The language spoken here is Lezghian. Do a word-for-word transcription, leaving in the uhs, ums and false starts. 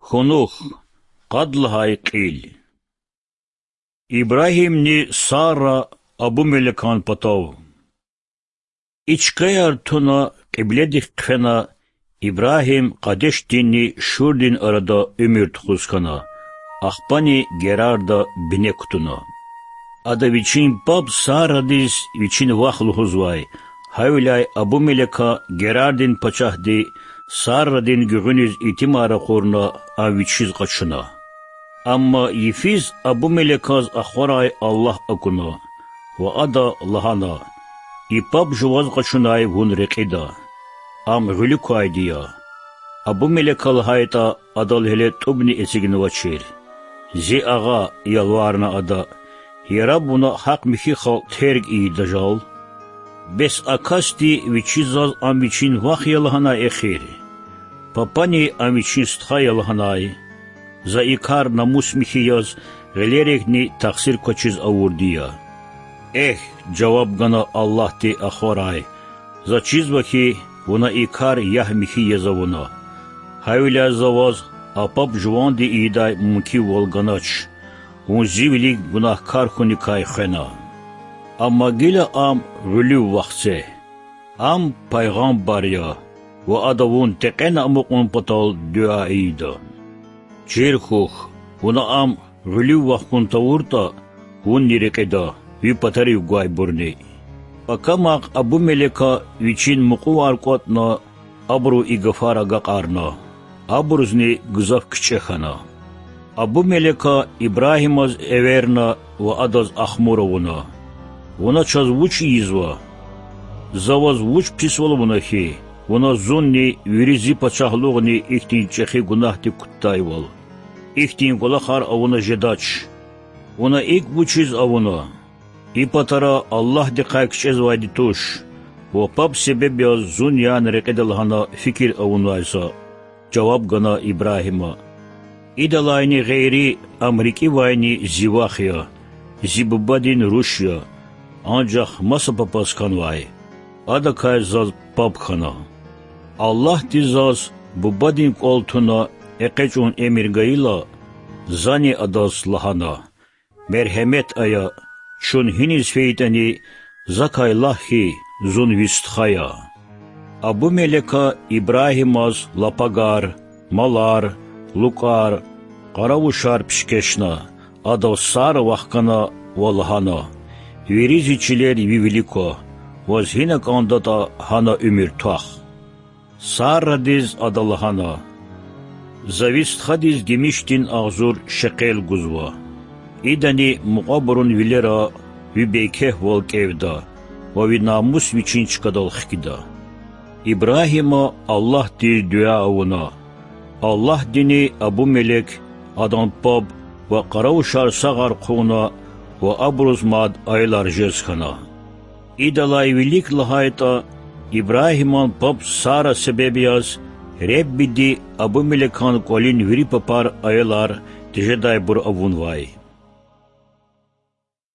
Хьунухь. Къад лагьай кьил. Ибрагьимни Сара Абумелекан патав. И чкаяр туна, кьибледихъ хъфена, Ибрагьим Къадешдинни Шурдин арада уьмуьр тухуз хьана, ахпани Герарда бине кутуна. Ада вичин паб Сарадиз вичин вах лугьузвай, гьавиляй Абумелека Герардин пачагьди Сарадин гуьгъуьниз итимар ракъурна, ам вичиз къачуна. Амма йифиз Абумелеказ ахварай Аллагь акуна ва ада лагьана: И паб жуваз къачунай вун рекьида. Ам гъуьлуь квайди я. Абумелека лагьайтӀа, адал гьеле тӀубни эцигнавачир. Зи агъа, ялварна ада, яраб вуна гьахъ-михьи халкь терг ийида жал? Бес а касди вичиз заз ам вичин вах я лагьанай эхир? Папани ам вичин стха я лагьанай? За и кар намус-михьи яз гъилерикни тахсир квачиз авурди я. Эхь, жаваб гана Аллагьди ахварай, за чизва хьи, вуна и кар ягь-михьи яз авуна. Гьавиляй за ваз а паб жуванди ийидай мумкинвал ганач, вун зи вилик гунагькар хьуникай хвена. Амма гила ам гъуьлуьв вахце. Ам пайгъамбар я, ва ада вун текьена амукьун патал дуьа ийида. Чир хьухь, вуна ам гъуьлуьв вахкун тавуртӀа, вунни рекьида, ви патарив гвайбурни. Пакамахъ Абумелека вичин мукьувар кӀватӀна, абуру и гафар агакьарна. Абурузни гзаф кичӀе хьана. Абумелека Ибрагьимаз эверна ва адаз ахмур авуна: Вуна чаз вуч ийизва? За ваз вуч писвал авуна хьи, вуна зунни вири зи пачагьлугъни ихьтин чӀехи гунагьдик кутдайвал? Ихьтин кӀвалахар авуна жедач. Вуна икӀ вучиз авуна? И патара Аллагьдихъай кичӀезвайди туш, ва паб себеб яз зун яна рекьида лагьана фикир авунвай за,— жаваб гана Ибрагьима. Идалайни гъейри, ам рикӀивайни зи вах я, зи бубадин руш я, анжах маса папаз хьанвай, адакай заз паб хьана. Аллагьди заз бубадин кӀвал туна экъечӀун эмир гайила, зани адаз лагьана: Мергьемет ая, чун гьиниз фейитӀани, закай лагь хьи, зун ви стха я. Абумелека Ибрагьимаз лапагар, малар, лукӀар, къаравушар пишкешна, адав Сара вахкана ва лагьана: Вири зи чилер ви вилик ква, ваз гьина кӀандатӀа, гьана уьмуьр твах. Сарадиз ада лагьана: За ви стхадиз гимишдин агъзур шекъел гузва. Идани мукьвабурун вилера ви бейкефвал кӀевда ва ви намус вичин чкадал хкида. Ибрагьима Аллагьдиз дуьа авуна. Аллагьдини Абумелек, адан паб ва къаравушар сагъар хъувуна ва абуруз мад аялар жез хьана. Идалай вилик лагьайтӀа, Ибрагьиман паб Сара себеб яз Реббиди Абумелекан кӀвалин вири папар аялар тежедайбур авунвай.